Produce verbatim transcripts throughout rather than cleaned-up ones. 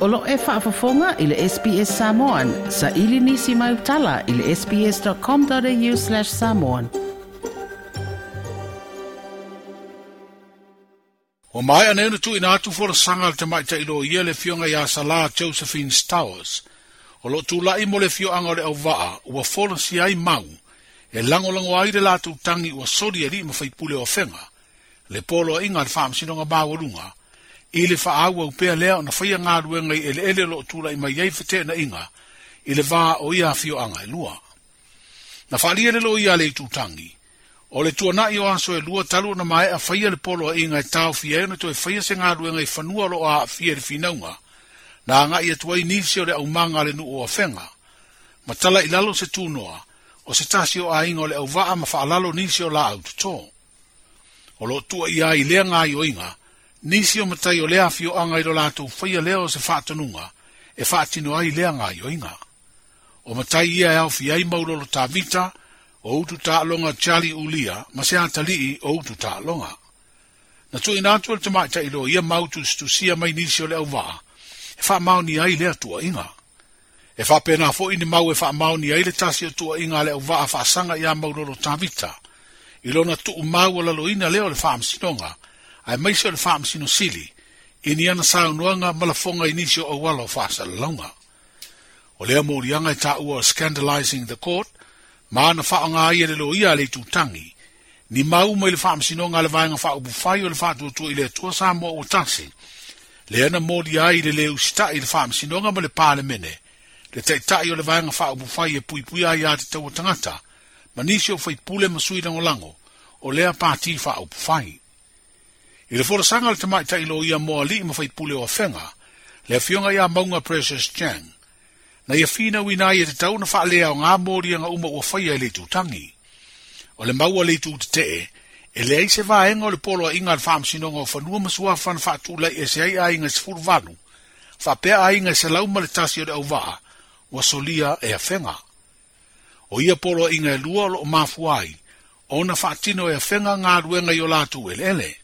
O lo e faafofoga i le S B S Samoan, sa ili nisi mai utala i le sbs.com.au slash samoan. O mai anei na tuuina atu folasaga le tamaitai loia le afioga iā Salā Josephine Stowers. O loo tula'i mo le afioaga o le auvaa ua folasia ai mau e lagolago ai le latou tagi ua soli ali'i ma faipule o afega le poloaiga a le faamasinoga maualuga i le faaauau pea lea ona faia galuega i eleele o loo tula'i mai ai feteenaiga i le vā o ia afioaga e lua. Na faalia le loia a le itutagi o le tuana'i o aso e lua talu ona maea faia le poloaiga e taofia ai ona toe faia se galuega i fanua o loo aafia i le finauga na aga'i atu ai nisi o le aumaga a le nuu o afega ma tala i lalo se tunoa o se tasi o aiga o le auvaa ma faalalo nisi o laau totō. O loo tuuaia ai lea gaioiga nisi o matai o lea afioaga i lo latou faia lea o se faatonuga e faatino ai lea gaioiga. O matai ia e aofia ai Maulolo Tavita o utu taaloga Charlie Ulia ma se atalii o utu taaloga. Na tuuina atu e le tamaitai loia mau tusitusia mai nisi o le auvaa e faamaonia ai lea tuuaiga. E faapena fo'i ni mau e faamaonia ai le tasi o tuuaiga a le auvaa faasaga iā Maulolo Tavita i lona tuumau alaloina lea o le faamasinoga ae maise o le faamasino sili i ni ana saunoaga ma lafoga i nisi o auala o faasalalauga. O lea moliaga e taua o Scandalizing the Court ma ana faaaoga ai e le loia a le itutagi ni mau mai le faamasinoga a le vaega faaupufai o le faatuatua i le Atua Samoa ua tasi lea na molia ai le lē usita'i i le faamasinoga ma le Palemene le taita'i o le vaega faaupufai e puipuia ai iā te taua tagata ma nisi o faipule ma sui lagolago o lea pati faaupufai. I le folasaga le tamaitai loia mo ali'i ma faipule o afega le afioga iā Mauga Precious Chang na ia finauina ai e tatau ona faaleaogā moliaga uma ua faia e le itutagi. O le mau a le itu tetee e leai se vaega o le poloaiga a le faamasinoga o fanua ma suafa na faatula'i ese ai aiga e sefulu valu faapea aiga e selau ma le tasi o le auvaa ua solia e afega. O ia poloaiga e lua o loo mafua ai ona faatino e afega galuega i o latou eleele.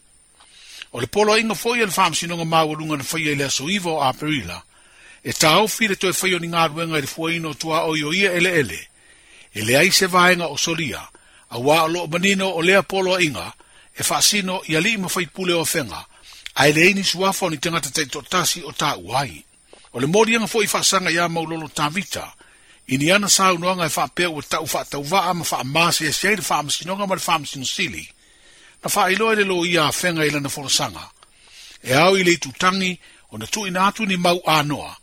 O le poloaiga fo'i a le faamasinoga maualuga na faia i le aso iva o Aperila e taofi le toe faia o ni galuega i le fuaina o tuaoi o ia eleele e leai se vaega o solia auā o loo manino o lea poloaiga e faasino i ali'i ma faipule o afega ae leai ni suafa o ni tagata taitoatasi o taua ai. O le moliaga fo'i faasaga iā Maulolo Tavita i ni ana saunoaga e faapea ua tau faatauvaa ma faamasiasi ai le faamasinoga ma le faamasino sili na faailoa e le loia afega i lana folasaga e ao i le itutagi ona tuuina atu ni mau anoa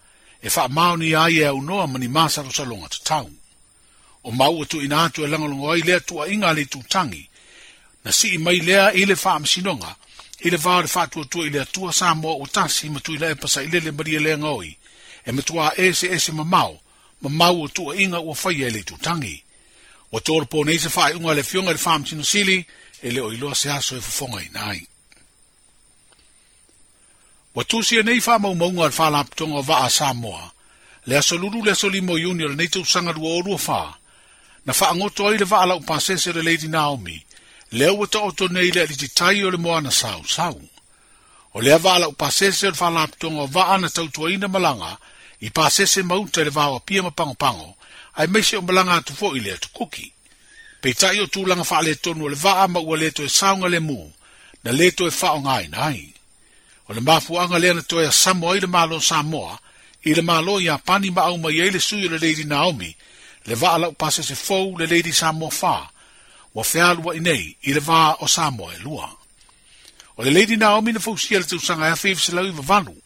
e faamaonia ai e aunoa ma ni masalosaloga tatau. O mau ua tuuina atu e lagolago ai lea tuuaiga a le itutagi na sii mai lea i le faamasinoga i le vā o le faatuatua i le Atua Samoa ua tasi ma Tuilaepa Sailele Malielegaoi oi e matuā ese ese mamao ma mau o tuuaiga ua faia e le itutagi. Ua tolopo nei se faaiuga a le afioga i le faamasino sili e le o iloa se aso e fofogaina ai. Ua tusia nei faamaumauga a le faalapotoga o vaa a Samoa le aso lulu le aso lima o Iuni o lenei tausaga lua o lua fā na faagoto ai le vaa laupasese o le Lady Naomi lea ua taoto nei le alititai o le moana sausau. O lea vaa laupasese o le faalapotoga o vaa na tautuaina malaga i pasese mauta i le vao Apia ma Pagopago ae maise o malaga atu fo'i le atukuki. Peitai o tulaga faaletonu o le vaa ma ua le toe saoga lemu na le toe faaaogaina ai. O le mafuaaga lea na toe asamo ai le Malo Samoa i le Malo Iapani ma aumai ai le sui o le Lady Naomi le vaa laupasese fou le Lady Samoa fā ua fealua'i nei i le vā o Samoa e lua. O le Lady Naomi na fausia le tausaga e afe iva selau iva valu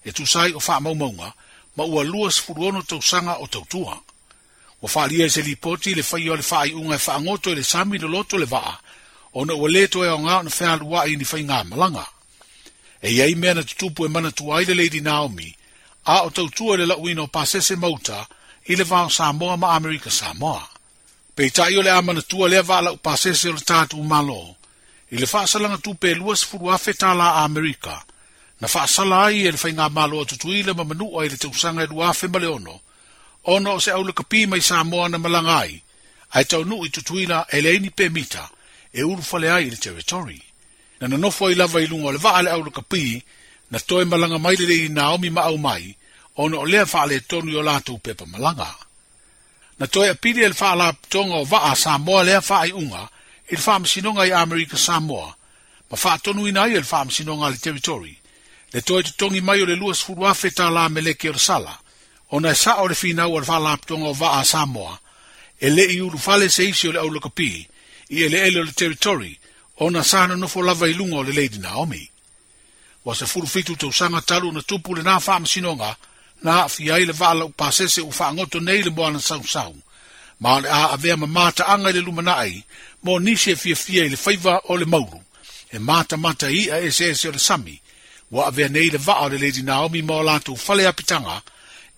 e tusa ai o faamaumauga ma ua lua sefulu ono tausaga o tautua. Ua faalia i se lipoti le faia o le faaiuga e faagoto i le sami loloto le vaa ona ua lē toe aogā ona fealua'i i ni faigā malaga. E iai mea na tutupu e manatua ai le Lady Naomi a o tautua i le lauina o pasese mauta i le vā o Samoa ma Amerika Samoa. Peitai o le a manatua lea vaa laupasese o le tatou Malo i le faasalaga tupe e lua sefulu afe tālā Amerika na faasala ai e le faigamalo a Tutuila ma Manua i le tausaga e lua afe ma le ono ona o se aulakapi mai Samoa na malaga ai ae taunuu i Tutuila e leai ni pemita e ulufale ai i le territory. Na nonofo ai lava i luga o le vaa le aulakapi na toe malaga mai le Lady Naomi ma aumai Ona o lea faaletonu i o latou pepa malaga. Na toe apili e le Faalapotopotoga o Vaa a Samoa lea faaiuga i le Faamasinoga i Amerika Samoa, ma faatonuina ai e le Faamasinoga a le Territory, le toe totogi mai o le luasefulu afe tālā meleki o le sala, ona e sao le finau a le Faalapotopotoga o Vaa a Samoa, e le i ulufale se isi o le aulakapi i eleele o le Territory, ona sa nonofo lava i luga o le Lady Naomi. Ua sefulu fitu tausaga talu na tupu lena faamasinoga, na aafia ai le vaa laupasese ua faagoto nei le moana sausau, ma o le a avea ma mataaga i le lumanai mo nisi e fiafia i le faiva o le maulu, e matamata i i'a eseese o le sami, ua avea nei le vaa o le Lady Naomi ma o latou fale apitaga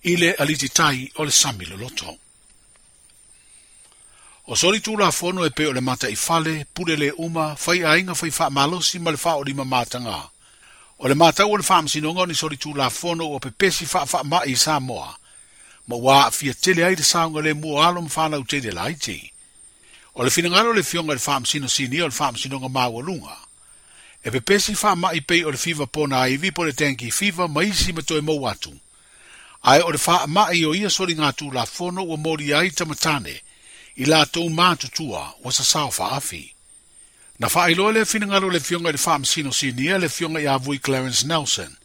i le alititai o le sami loloto. O soli tulafono e pei o le mataifale, pule le uma, fai aiga fai faamalosi ma le faaolima mataga. O le matau o le faamasinoga o ni soli tulafono ua pepesi faafaamai i Samoa, ma ua aafia tele ai le saogalemu o alo ma fanau tele laiti. O le finagalo o le Afioga i le Faamasino Sinia o le Faamasinoga Maualuga, e pepesi faamai pei o le fiva pona aivi po le dengue fever ma isi ma toe mou atu. Ae o le faamai o ia soliga tulafono ua molia ai tamatane, i latou matutua ua sasao faafi. Na faailoa le finagalo le Afioga i le Faamasino Sinia le Afioga ia Vui Clarence Nelson,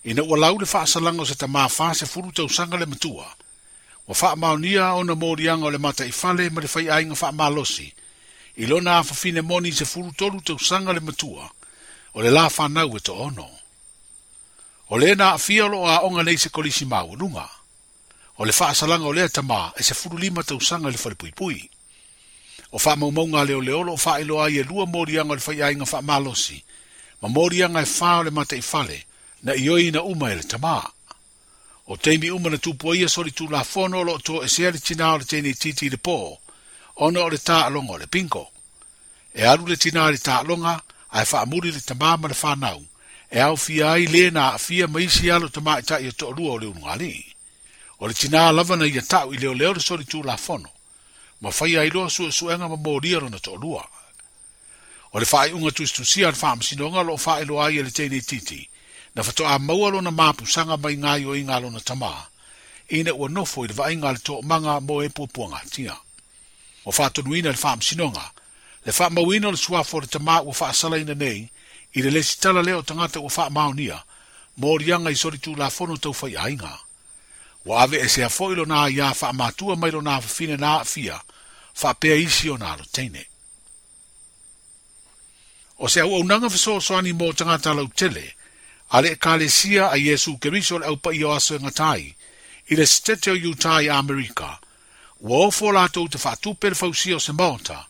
ina ua lau le faasalaga o se tamā fasefulu tausaga le matua, ua faamaonia ona moliaga o le mataifale ma le faiaiga faamalosi, i lona afafine moni sefulu tolu tausaga le matua, o le la fanau e to'ono. O le na aafia o loo aoga nei se kolisi maualuga. O le faasalaga o lea tamā e sefulu lima tausaga i le falepuipui. O faamaumauga a leoleo o loo faailoa ai e lua moliaga o le faiaiga faamalosi, ma moliaga e fa o le mataifale, na ioeina uma e le tamā. O taimi uma na tupu ai ia soli tulafono o loo toesea le tinā o le teine itiiti i le pō, ona o le taaloga o le bingo. E alu le tinā i le taaloga, ae faamuli le tamā ma le fanau, e aofia ai le na aafia ma isi alo tamaitai e toalua o le ulugalii. O le tinā lava na ia ta'u i leoleo le soli tulafono, ma faia ai loa suesuega ma molia lona toalua. O le faaiuga tusitusia a le faamasinoga o loo faailoa ai e le teine itiiti, na faatoa maua lona mapusaga mai gaioiga a lona tamā, ina ua nofo i le vaaiga a le toomaga mo e puapuagatia. Ua faatonuina le faamasinoga, le faamauina o le suafa o le tamā ua faasalaina nei, i le lesitala lea o tagata ua faamaonia, moliaga i soli tulafono tau faiaiga. Ua ave esea foi lona aiā faamatua mai lona afafine na aafia, faapea isi ona alo teine. O se auaunaga fesoasoani mo tagata lautele, a le Ekalesia a Iesu Keriso le aupaia o aso e gata ai, i le Setete o Utah i Amerika, ua ofo latou te faatupe le fausia o se maota,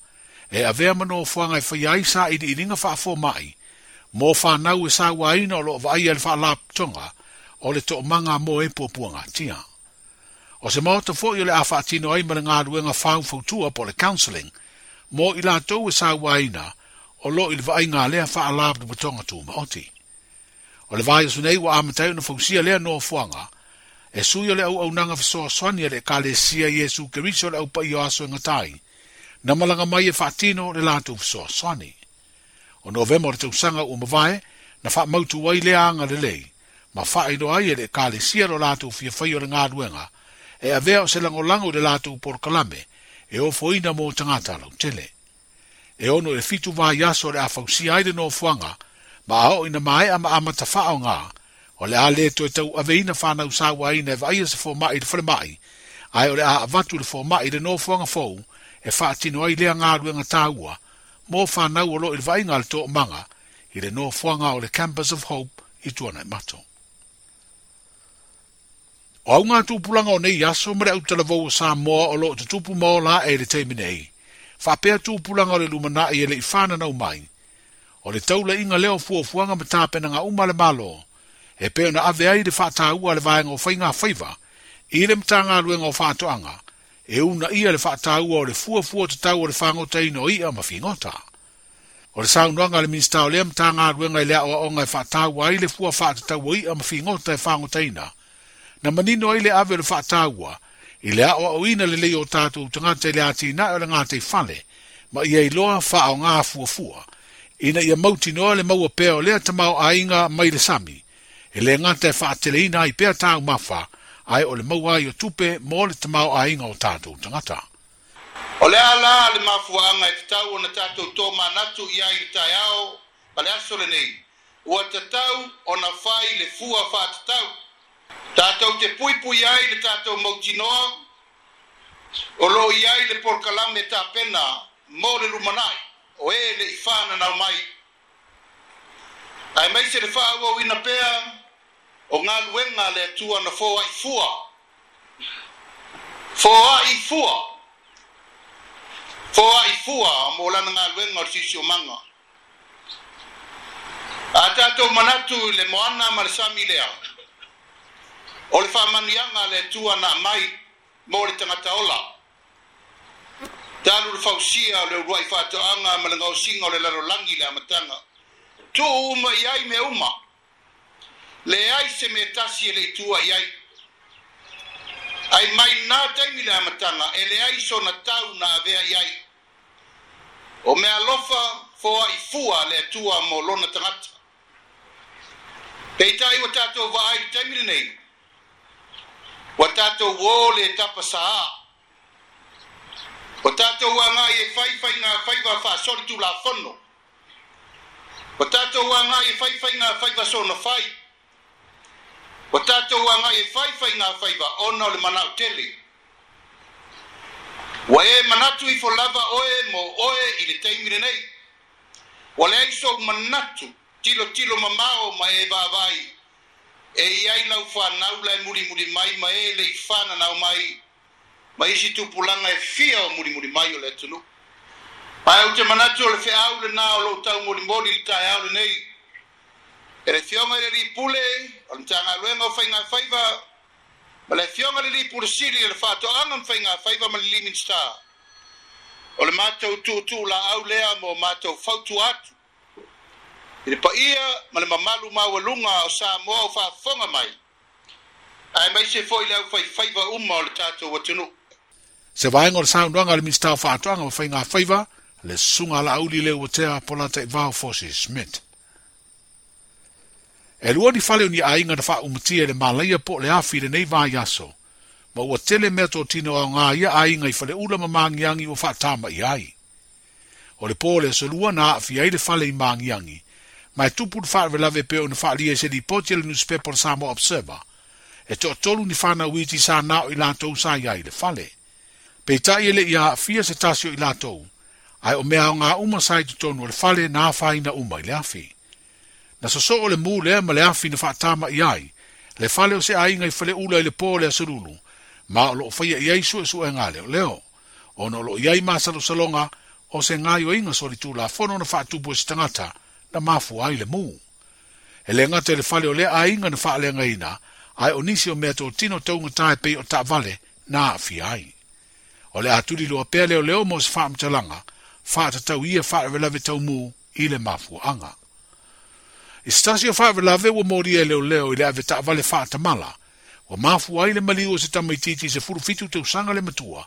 e avea ma nofoaga e faia ai sailiiliga faafomai, mo fanau e sauaina o loo vaaia le faalapotopotoga o le toomaga mo e puapuagatia. O se maota foi o le a faatino ai ma le galuega faufautua po o le counselling, mo i latou e sauaina o loo i le vaaiga a lea faalapotopotoga tumaoti. O le vaiaso nei ua amata ai ona fausia lea nofoaga, e sui o le auaunaga fesoasoani a le Ekalesia Iesu Keriso le aupaia o aso e gata ai, na malaga mai e faatino le latou fesoasoani. O Novema o le tausaga ua mavae, na faamautu ai lea agalelei, ma faailoa ai e le Ekalesia lo latou fiafai o le galuega, e avea o se lagolago i le latou polokalame, e ofoina mo tagata lautele. E ono i le fitu vaiaso o le a fausia ai le nofoaga, ma a oo ina maea ma amata faaoga, o le a le toe tau aveina fanau sauaina e vaaia se fomai i le falemai, ae o le a avatu le fomai i le nofoaga fou, e faatino ai lea galuega taua, mo fanau o loo i le vaaiga a le toomaga, i le nofoaga o le Campus of Hope i Tuanaimato. O auga tupulaga o nei aso ma le autalavou o Samoa o loo tutupu ma ola ae i le taimi nei, faapea tupulaga o le lumanai e le i fananau mai, o le taulaiga lea o fuafuaga ma tapenaga uma a le Malo, e pei ona ave ai le faataua a le vaega o faiga faiva, i le Matagaluega o Faatoaga, e uunaia le faataua o le fuafua tatau o le fagotaina o i'a ma figota. O le saunoaga a le Minisita o lea Matagaluega i le aoaoga e faataua ai le fua faatatau o i'a ma figota e fagotaina, na manino ai le ave o le faataua, i le aoaoina lelei o tatou tagata i le atinae o le gataifale, ma ia iloa faaoga fuafua, ina ia mautinoa le maua pea o lea tamaoaiga mai le sami, e le gata e faateleina ai pea taumafa, Ae o le maua ai o tupe mo le tamaoaiga o tatou tagata. O le ala le mafuaaga e tatau ona tatou tomanatu i ai i le taeao ma le aso lenei, ua tatau ona fai le fua faatatau. Tatou te puipui ai le tatou mautinoa, o loo i ai le polokalame tapena mo le lumanai, o e le i fananau mai. Ae maise le faaauauina pea o galuega le Atua na foai fua. Foai fua. Foai fua mo lana galuega o le siosiomaga. A tatou manatu i le moana ma le sami lea, o le faamanuiaga le Atua na aumai mo le tagata ola. Talu le fausia o le uluai faatoaga ma le gaosiga o le lalolagi le amataga. Tuu uma i ai mea uma. Leai se mea tasi e le i tua i ai. Ai mai nā taimi le amataga, e leai sona tau na avea i ai. O mea alofa foai fua le Atua mo lona tagata. Peitai ua tatou vaai le taimi lenei, ua tatou o le tapasaā. Ua tatou agai e fai faiga faasoli tulafono. Ua tatou agai e fai faiga faiva sona fai. Ua tatou agai e fai faiga faiva ona o le manao tele. Ua e manatu ifo lava oe mo oe i le taimi lenei. Ua leai sou manatu tilotilo mamao ma e vaavaai e i ai lau fanau la e mulimuli mai ma e le i fananau mai ma isi tupulaga e fia o mulimuli mai o le atunuu. Ae ou te manatu o le feau lenā o lou taumolimoli i le taeao lenei. E le Afioga i le Alii Pule o le Matagaluega o Faiga Faiva ma le Afioga i le Alii Pule Sili o le Faatoaga ma Faiga Faiva ma le alii Minisita. O le matou tuutuu laau lea mo matou fautua atu i le paia ma le mamalu maualuga o Samoa o faafofoga mai, ae maise foi le aufaifaiva uma o le tatou atunuu. Se vaega o le saunoaga a le Minisita o Faatoaga ma Faiga Faiva, le susuga Laauli Leuatea Polataivao Fosi Smith. E lua ni fale o ni aiga na faaumatia i le malaia po o le afi i lenei vaiaso, ma ua tele meatotino aoga ia aiga i faleula ma magiagi ua faatama'i ai. O le po o le aso lua na aafia ai le fale i magiagi, ma e tupu le faalavelave pei ona faalia i se lipoti a le newspaper o le Samoa Observer, e toatolu ni fanau iti sa nao i latou sa i ai i le fale. Peitai e le i aafia se tasi o i latou, ae o mea aoga uma sa i totonu o le fale na afaina uma i le afi. Na sosoo le mu lea ma le afi na faatama'i ai, le fale o se aiga i faleula i le po o le aso lulu, ma o loo faia i ai suesuega leoleo, ona o loo i ai masalosaloga o se gaoioiga solitulafono na faatupu e se tagata na mafua ai le mu. E le gata i le fale o lea aiga na faaleagaina, ae o nisi o meatotino taugata e pei o taavale na aafia ai. O le a tuliloa pea leoleo mo se faamatalaga, faatatau ia faalavelave taumu i le mafuaaga. I se tasi o faalavelave ua molia e leoleo i le ave taavale faatamala, ua mafua ai le maliu o se tamaitiiti sefulufitu tausaga le matua.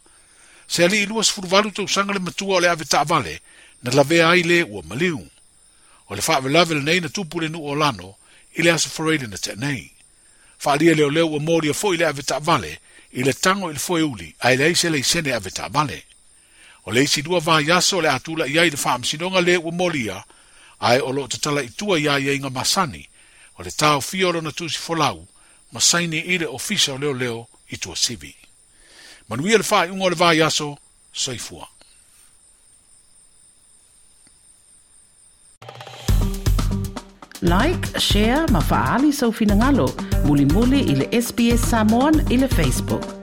Se alii luasefuluvalu tausaga le matua o le ave taavale, na lavea ai le ua maliu. O le faalavelave lenei na tupu le nuu o Lano i le aso Faraile na tea nei. Faalia leoleo ua molia foi le ave taavale i le tago i le foeuli ae leai se laisene ave taavale. O le isi lua vaiaso o le a tula'i ai le faamasinoga le ua molia, ae o loo tatala i tua ia aiaiga masani, o le taofia o lona tusi folau, ma saini i le ofisa o leoleo i Tuasivi. Manuia le faaiuga o le vaiaso, soifua. Like, share ma faaali sou finagalo, mulimuli i le S B S Samoan i le Facebook.